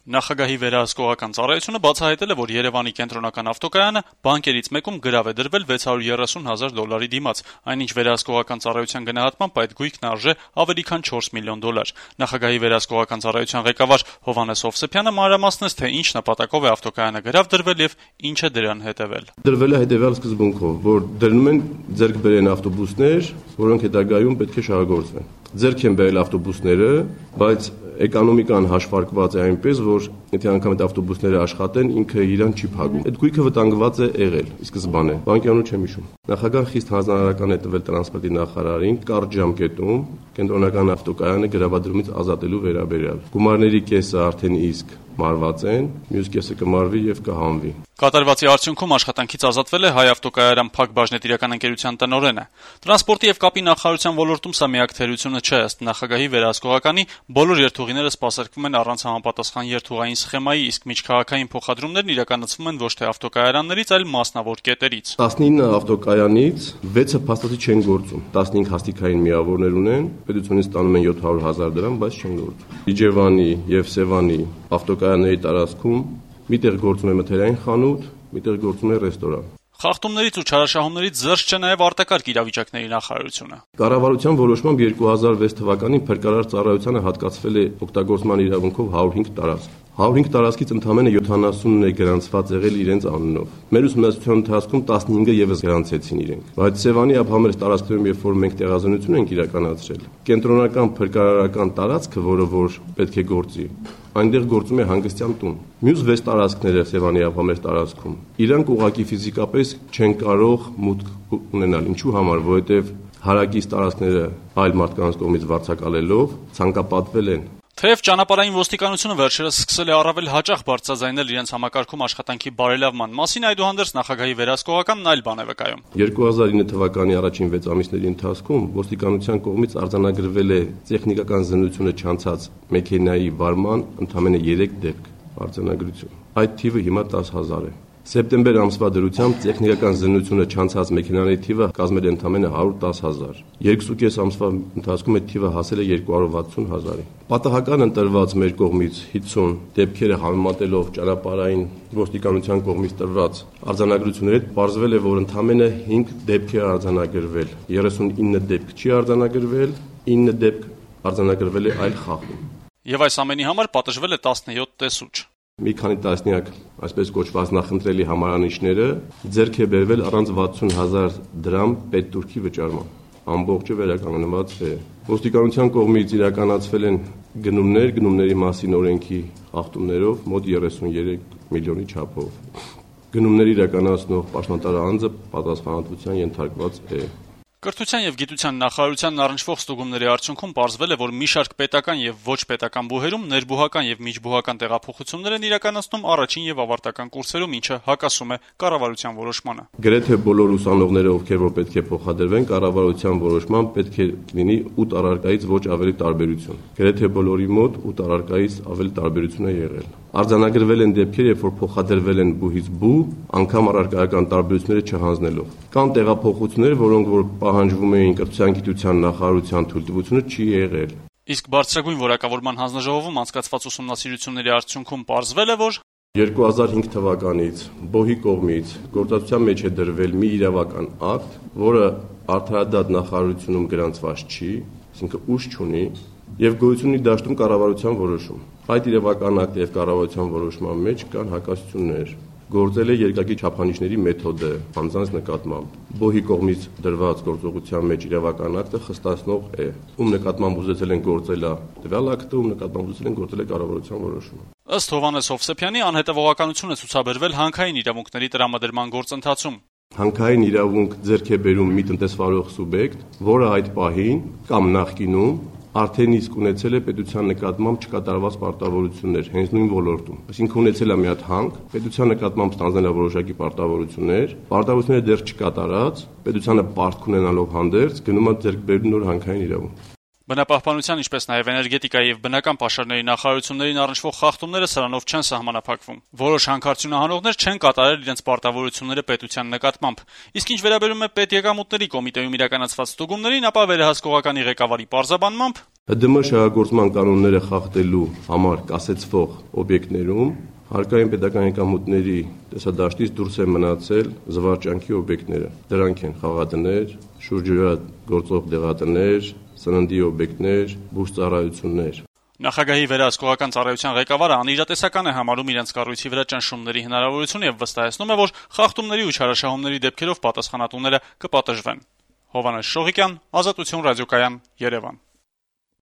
Նախագահի վերահսկողական ծառայությունը բացահայտել է, որ Երևանի կենտրոնական ավտոկայանը բանկերից մեկում գրավ է դրվել $630,000 դիմաց, այնինչ վերահսկողական ծառայության գնահատմամբ այդ գույքն արժե ավելի քան $4 միլիոն։ Նախագահի վերահսկողական ծառայության ղեկավար Հովհաննես Հովսեփյանը մանրամասնեց, թե ինչ նպատակով է ավտոկայանը գրավ դրվել եւ ինչ է դրան հետեւել։ Դրվել է հետեւյալ սկզբունքով, որ դրնում են ձեռք բերեն ավտոբուսներ, որոնք հետագայում պետք է շահագործվեն։ Ձեռք են բերել ավտոբուսները, բայց էկոնոմիկան հաշվարկված է այնպես, որ եթե անգամ այդ ավտոբուսները աշխատեն, ինքը իրան չի փակում։ Այդ գույքը վտանգված է եղել ի սկզբանե, բանկյանու չեմ հիշում։ Նախագահը խիստ հանձնարարական է տվել տրանսպորտի նախարարին կարճ ժամկետում կենտրոնական ավտոկայանը գրավադրումից ազատելու վերաբերյալ։ Գումարների կեսը արդեն իսկ մարված են, մյուս կեսը կմարվի եւ կհանվի։ Կատարվածի արդյունքում աշխատանքից ազատվել է Հայ ավտոկայարան Փակ բաժնետիրական ընկերության տնօրենը։ Տրանսպորտի եւ կապի նախարարության ոլորտում սա միակ թերությունը չէ, ըստ նախագահի վերահսկողականի բոլոր երթուղիները սպասարկվում են առանց համապատասխան երթուղային սխեմայի, իսկ միջքաղաքային փոխադրումներն իրականացվում են ոչ թե ավտոկայարաններից, այլ մասնավոր կետերից։ 19 ավտոկայանից 6-ը փաստացի չեն գործում, 15 հաստիկային միավորներ ունեն, պետությունից ստանում են $700,000, բայց չեն գործում։ Իջևանի եւ Սևանի ավտոկայանների տարածքում միտեղ գործում է մթերային խանութ, միտեղ գործում է ռեստորան։ Խախտումներից ու չարաշահումներից զերծ չէ նաև արտակարգ իրավիճակների նախարարությունը։ Կառավարության որոշմամբ 2006 թվականին փրկարար ծառայությանը հատկացվել է օգտագործման իրավունքով 105 տարածք։ 105 տարածքից ընդամենը 70-ն է գրանցված եղել իրենց անունով։ Մեր ուսումնասիրության ընթացքում 15-ը եւս գրանցեցին իրենք։ Բայց Սևանի ափամերձ տարածքներում, երբ որ մենք տեղազնություն ենք իրականացրել, կենտրոնական փրկարարական տարածքը, որը որ պետք է գործի, այնտեղ գործում է հանգստյան տուն։ Մյուս 6 տարածքները Սևանի ափամերձ տարածքում իրանք ուղղակի ֆիզիկապես չեն կարող մուտք ունենալ։ Ինչու համար, որովհետև հարակից տարածքները այլ մարդկանց կողմից վարձակալելով ցանկապատվել են։ Թեև ճանապարհային ոստիկանությունը վերջերս սկսել է առավել հաճախ բարձրաձայնել իրենց համակարգում աշխատանքի բարելավման մասին, այդուհանդերձ նախագահի վերահսկողականն այլ բան է վկայում։ 2009 թվականի առաջին 6 ամիսների ընթացքում ոստիկանության կողմից արձանագրվել է տեխնիկական զննությունը չանցած մեքենայի վարման ընդամենը 3 դեպք արձանագրություն։ Այդ թիվը հիմա 10,000 է։ Սեպտեմբեր ամսվա դրությամբ տեխնիկական զննությունը չանցած մեքենաների թիվը կազմել է ընդամենը 110,000։ 2.5 ամսվա ընթացքում այդ թիվը հասել է 260,000-ի։ Պատահական ընտրված մեր կողմից 50 դեպքերը համեմատելով ճանապարհային ոստիկանության կողմից տրված արձանագրությունների հետ պարզվել է, որ ընդամենը 5 դեպք է արձանագրվել, 39 դեպք չի արձանագրվել, 9 դեպք արձանագրվել է այլ խախտում։ Եվ այս ամենի համար պատժվել է 17 տեսուչ։ Մի քանի տասնյակ այսպես կոչված նախընտրելի համարանիշները ձեռք է բերվել առանց 60,000 դրամ պետտուրքի վճարման։ Ամբողջը վերականգնված է։ Ոստիկանության կողմից իրականացվել են գնումների մասին օրենքի խախտումներով մոտ 33 միլիոնի չափով։ Գնումներ իրականացնող պաշտոնատար անձը պատասխանատվության ենթարկված է։ Կրթության եւ գիտության նախարարությանն առնչվող ստուգումների արդյունքում պարզվել է, որ մի շարք պետական եւ ոչ պետական բուհերում ներբուհական եւ միջբուհական տեղափոխություններ են իրականացնում առաջին եւ ավարտական կուրսերում, ինչը հակասում է կառավարության որոշմանը։ Գրեթե բոլոր ուսանողները, ովքեր որ պետք է փոխադրվեն, կառավարության որոշմամբ պետք է լինի 8 առարկայից ոչ ավելի տարբերություն։ Գրեթե բոլորի մոտ 8 առարկայից ավելի տարբերություն է եղել։ Արձանագրվել են դեպքեր, երբ որ փոխադրվել են բուհից բու, անգամ առարկայական տարբերությունները չհանձնելով։ Կան տեղափոխություններ, որոնք որ պահանջվում էին կրթության գիտության նախարարության թույլտվությունը չի եղել։ Իսկ բարձրագույն որակավորման հանձնաժողովում անցկացված ուսումնասիրությունների արդյունքում պարզվել է, որ 2005 թվականից ԲՕՀ-ի կողմից գործածության մեջ է դրվել մի իրավական ակտ, որը արդարադատ նախարարությունում գրանցված չի, այսինքն ուժ չունի, եւ գոյություն ունի դաշտում կառավարության որոշում։ Այդ իրավական ակտի եւ կառավարության որոշման մեջ կան հակասություններ։ Գործել է երկակի չափանիշների մեթոդը անձանց նկատմամբ։ ԲՕՀ-ի կողմից դրված գործողության մեջ իրավական ակտը խստացնող է։ Ում նկատմամբ ուզեցել են գործել տվյալ ակտը, ում նկատմամբ ուզեցել են գործել է կառավարության որոշումը։ Ըստ Հովհաննես Հովսեփյանի անհետևողականություն է ցուցաբերվել հանքային իրավունքների տրամադրման գործընթացում։ Հանքային իրավունք ձեռք է բերում մի տնտեսվարող սուբյեկտ, որը այդ պահին կամ նախկինում արդեն իսկ ունեցել է պետության նկատմամբ չկատարված պարտավորություններ հենց նույն ոլորտում։ Այսինքն ունեցել է մի հատ հանք, պետության նկատմամբ ստանձնել է որոշակի պարտավորությունները դեռ չկատարած, պետությանը պարտք ունենալով հանդերձ գնում է ձեռք բերում նոր հանքային իրավունք։ Բնապահպանության, ինչպես նաև էներգետիկայի եւ բնական պաշարների նախարարություններին առնչվող խախտումները սրանով չեն սահմանափակվում։ Որոշ հանքարդյունահանողներ չեն կատարել իրենց պարտավորությունները պետության նկատմամբ։ Իսկ ինչ վերաբերում է պետեկամուտների կոմիտեում իրականացված ստուգումներին, ապա վերահսկողականի ղեկավարի պարզաբանմամբ ՀԴՄ շահագործման կանոնները խախտելու համար կասեցվող օբյեկտներում հարկային պետական եկամուտների տեսադաշտից դուրս են մնացել զվարճանքի օբյեկտները։ Դրանք են խաղատներ, շուրջօրյա գործող դեղատներ, սննդի օբյեկտներ, բուժծառայություններ։ Նախագահի վերահսկողական ծառայության ղեկավարը անիրատեսական է համարում իրենց կառույցի վրա ճնշումների հնարավորությունը եւ վստահեցնում է, որ խախտումների ու չարաշահումների դեպքերով պատասխանատուները կպատժվեն։ Հովհաննես Շողիկյան, Ազատություն ռադիոկայան, Երևան։